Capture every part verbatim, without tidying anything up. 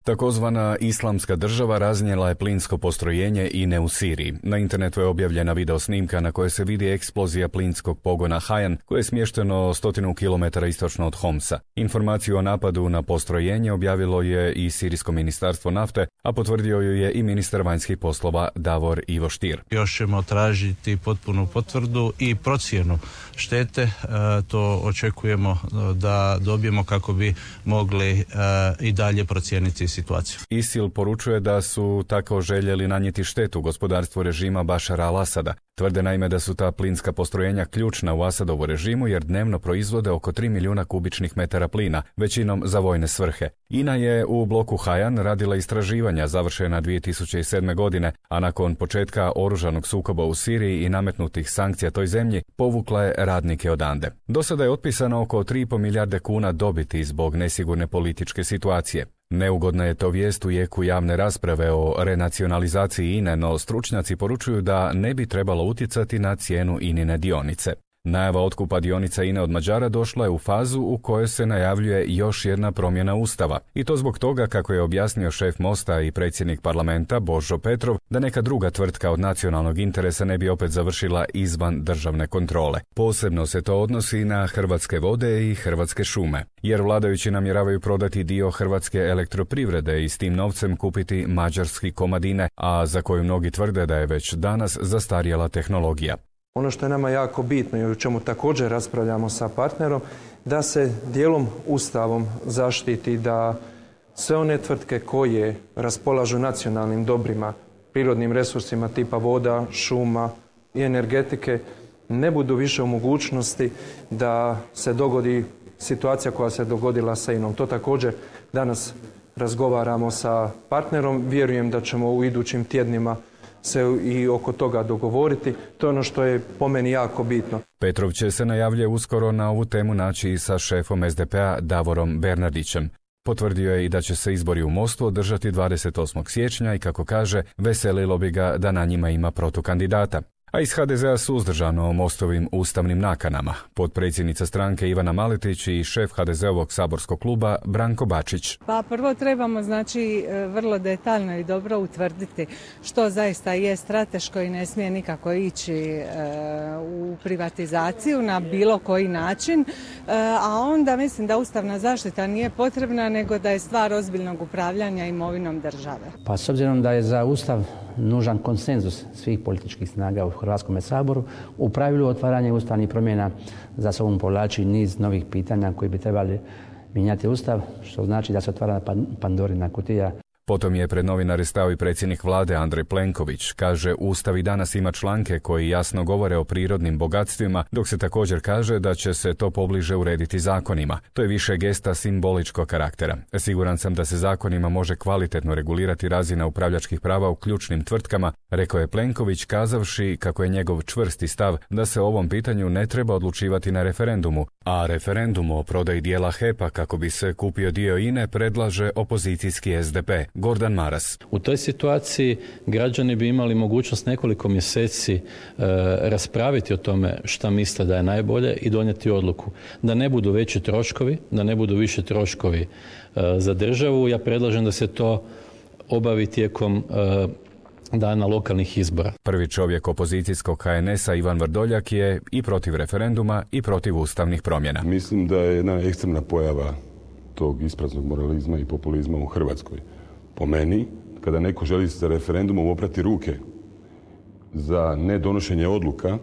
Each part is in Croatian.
Takozvana islamska država raznijela je plinsko postrojenje I N E u Siriji. Na internetu je objavljena video snimka na kojoj se vidi eksplozija plinskog pogona Hajan, koje je smješteno stotinu kilometara istočno od Homsa. Informaciju o napadu na postrojenje objavilo je I Sirijsko ministarstvo nafte, a potvrdio ju je I ministar vanjskih poslova Davor Ivo Stier. Još ćemo tražiti potpunu potvrdu I procjenu štete. E, to očekujemo da dobijemo kako bi mogli e, I dalje procijeniti situaciju. ISIL poručuje da su tako željeli nanijeti štetu gospodarstvu režima Bašara al-Asada. Tvrde naime da su ta plinska postrojenja ključna u Asadovu režimu jer dnevno proizvode oko tri milijuna kubičnih metara plina, većinom za vojne svrhe. I N A je u bloku Hajan radila istraživanja završena dvije tisuće sedme. godine, a nakon početka oružanog sukoba u Siriji I nametnutih sankcija toj zemlji, povukla je radnike odande. Do sada je otpisano oko tri i pol milijarde kuna dobiti zbog nesigurne političke situacije. Neugodna je to vijest u jeku javne rasprave o renacionalizaciji I N E, no stručnjaci poručuju da ne bi trebalo utjecati na cijenu I N I-ne dionice. Najava otkupa dionica I N E od Mađara došla je u fazu u kojoj se najavljuje još jedna promjena Ustava. I to zbog toga, kako je objasnio šef Mosta I predsjednik parlamenta Božo Petrov, da neka druga tvrtka od nacionalnog interesa ne bi opet završila izvan državne kontrole. Posebno se to odnosi na Hrvatske vode I Hrvatske šume, jer vladajući namjeravaju prodati dio Hrvatske elektroprivrede I s tim novcem kupiti mađarski Komadine, a za koju mnogi tvrde da je već danas zastarjela tehnologija. Ono što je nama jako bitno I o čemu također raspravljamo sa partnerom, da se dijelom Ustavom zaštiti da sve one tvrtke koje raspolažu nacionalnim dobrima, prirodnim resursima tipa voda, šuma I energetike, ne budu više u mogućnosti da se dogodi situacija koja se dogodila sa I N O-om. To također danas razgovaramo sa partnerom. Vjerujem da ćemo u idućim tjednima se I oko toga dogovoriti. To je ono što je po meni jako bitno. Petrov će se, najavljuje, uskoro na ovu temu naći I sa šefom S D P-a Davorom Bernardićem. Potvrdio je I da će se izbori u Mostu održati dvadeset osmog siječnja I kako kaže, veselilo bi ga da na njima ima protukandidata. A iz H D Z-a suzdržano o Mostovim ustavnim nakanama. Potpredsjednica stranke Ivana Maletić I šef H D Z-ovog saborskog kluba Branko Bačić. Pa prvo trebamo znači vrlo detaljno I dobro utvrditi što zaista je strateško I ne smije nikako ići e, u privatizaciju na bilo koji način, e, a onda mislim da ustavna zaštita nije potrebna nego da je stvar ozbiljnog upravljanja imovinom države. Pa s obzirom da je za Ustav nužan konsenzus svih političkih snaga u Hrvatskom saboru, u pravilu otvaranje ustavnih promjena za sobom povlači niz novih pitanja koji bi trebali mijenjati Ustav, što znači da se otvara Pandorina kutija. Potom je pred novinare stao I predsjednik vlade Andrej Plenković. Kaže, Ustav I danas ima članke koji jasno govore o prirodnim bogatstvima, dok se također kaže da će se to pobliže urediti zakonima. To je više gesta simboličkog karaktera. Siguran sam da se zakonima može kvalitetno regulirati razina upravljačkih prava u ključnim tvrtkama, rekao je Plenković, kazavši kako je njegov čvrsti stav da se o ovom pitanju ne treba odlučivati na referendumu, a referendum o prodaji dijela H E P-a kako bi se kupio dio I N E predlaže opozicijski S D P. Gordan Maras. U toj situaciji građani bi imali mogućnost nekoliko mjeseci e, raspraviti o tome šta misle da je najbolje I donijeti odluku. Da ne budu veći troškovi, da ne budu više troškovi e, za državu. Ja predlažem da se to obavi tijekom e, dana lokalnih izbora. Prvi čovjek opozicijskog H N S-a Ivan Vrdoljak je I protiv referenduma I protiv ustavnih promjena. Mislim da je jedna ekstremna pojava tog ispraznog moralizma I populizma u Hrvatskoj. Po meni, kada neko želi sa referendumom oprati ruke za nedonošenje odluka,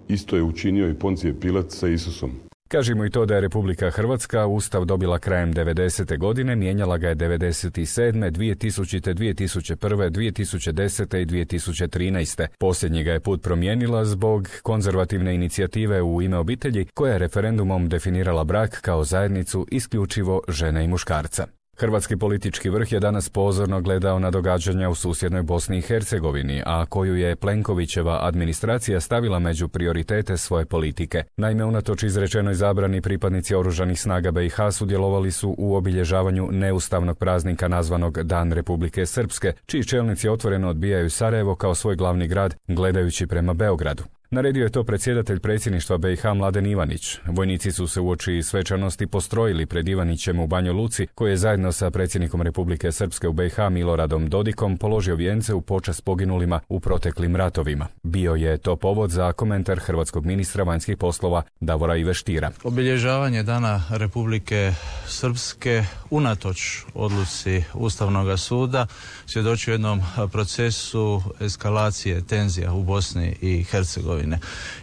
isto je učinio I Poncije Pilat sa Isusom. Kažimo I to da je Republika Hrvatska Ustav dobila krajem devedesete. godine, mijenjala ga je devedeset sedme, dvije tisućite, dvije tisuće prve, dvije tisuće desete I dvije tisuće trinaeste. Posljednji ga je put promijenila zbog konzervativne inicijative U ime obitelji, koja je referendumom definirala brak kao zajednicu isključivo žene I muškarca. Hrvatski politički vrh je danas pozorno gledao na događanja u susjednoj Bosni I Hercegovini, a koju je Plenkovićeva administracija stavila među prioritete svoje politike. Naime, unatoč izrečenoj zabrani, pripadnici oružanih snaga B I H sudjelovali su u obilježavanju neustavnog praznika nazvanog Dan Republike Srpske, čiji čelnici otvoreno odbijaju Sarajevo kao svoj glavni grad, gledajući prema Beogradu. Naredio je to predsjedatelj predsjedništva B i H Mladen Ivanić. Vojnici su se uoči svečanosti postrojili pred Ivanićem u Banja Luci, koji je zajedno sa predsjednikom Republike Srpske u B i H Miloradom Dodikom položio vijence u počast poginulima u proteklim ratovima. Bio je to povod za komentar hrvatskog ministra vanjskih poslova Davora Ive Stiera. Obilježavanje Dana Republike Srpske unatoč odluci Ustavnog suda svjedoči jednom procesu eskalacije tenzija u Bosni i Hercegovine.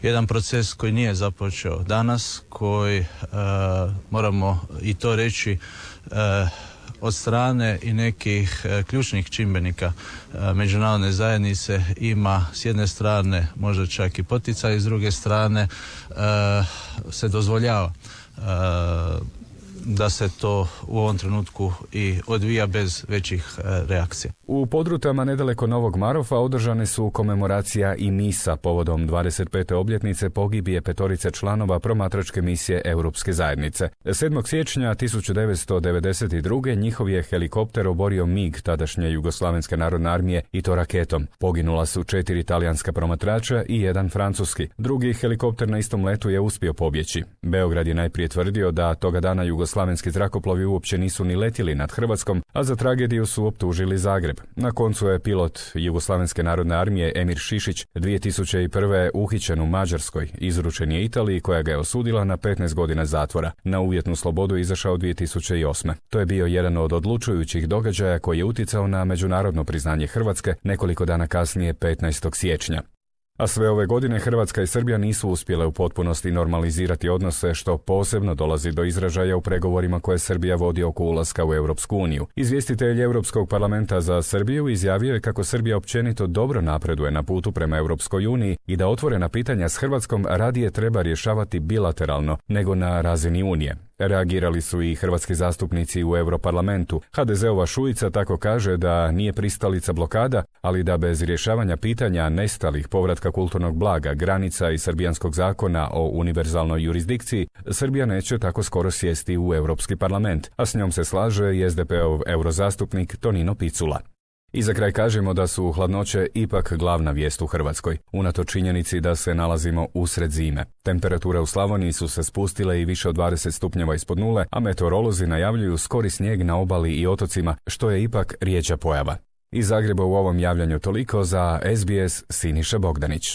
Jedan proces koji nije započeo danas, koji e, moramo i to reći e, od strane i nekih e, ključnih čimbenika e, međunarodne zajednice ima s jedne strane možda čak i poticaj, s druge strane e, se dozvoljava e, da se to u ovom trenutku i odvija bez većih e, reakcija. U Podrutama nedaleko Novog Marofa održane su komemoracija i misa povodom dvadeset pete obljetnice pogibije petorice članova promatračke misije Europske zajednice. sedmog siječnja tisuću devetsto devedeset druge. njihov je helikopter oborio MiG tadašnje Jugoslavenske narodne armije i to raketom. Poginula su četiri talijanska promatrača i jedan francuski. Drugi helikopter na istom letu je uspio pobjeći. Beograd je najprije tvrdio da toga dana jugoslavenski zrakoplovi uopće nisu ni letjeli nad Hrvatskom, a za tragediju su optužili Zagreb. Na koncu je pilot Jugoslavenske narodne armije Emir Šišić dvije tisuće prve. uhićen u Mađarskoj. Izručen je Italiji koja ga je osudila na petnaest godina zatvora. Na uvjetnu slobodu izašao dvije tisuće osme. To je bio jedan od odlučujućih događaja koji je utjecao na međunarodno priznanje Hrvatske nekoliko dana kasnije petnaestog siječnja. A sve ove godine Hrvatska i Srbija nisu uspjele u potpunosti normalizirati odnose, što posebno dolazi do izražaja u pregovorima koje Srbija vodi oko ulaska u Europsku uniju. Izvjestitelj Europskog parlamenta za Srbiju izjavio je kako Srbija općenito dobro napreduje na putu prema Europskoj uniji i da otvorena pitanja s Hrvatskom radije treba rješavati bilateralno nego na razini Unije. Reagirali su i hrvatski zastupnici u Europarlamentu. ha de zeova Šuica tako kaže da nije pristalica blokada, ali da bez rješavanja pitanja nestalih, povratka kulturnog blaga, granica i srbijanskog zakona o univerzalnoj jurisdikciji, Srbija neće tako skoro sjesti u Europski parlament, a s njom se slaže i es de pe-ov eurozastupnik Tonino Picula. I za kraj kažemo da su hladnoće ipak glavna vijest u Hrvatskoj, unatoč činjenici da se nalazimo usred zime. Temperature u Slavoniji su se spustile i više od dvadeset stupnjeva ispod nule, a meteorolozi najavljuju skori snijeg na obali i otocima, što je ipak rijeđa pojava. Iz Zagreba u ovom javljanju toliko, za es be es Siniša Bogdanić.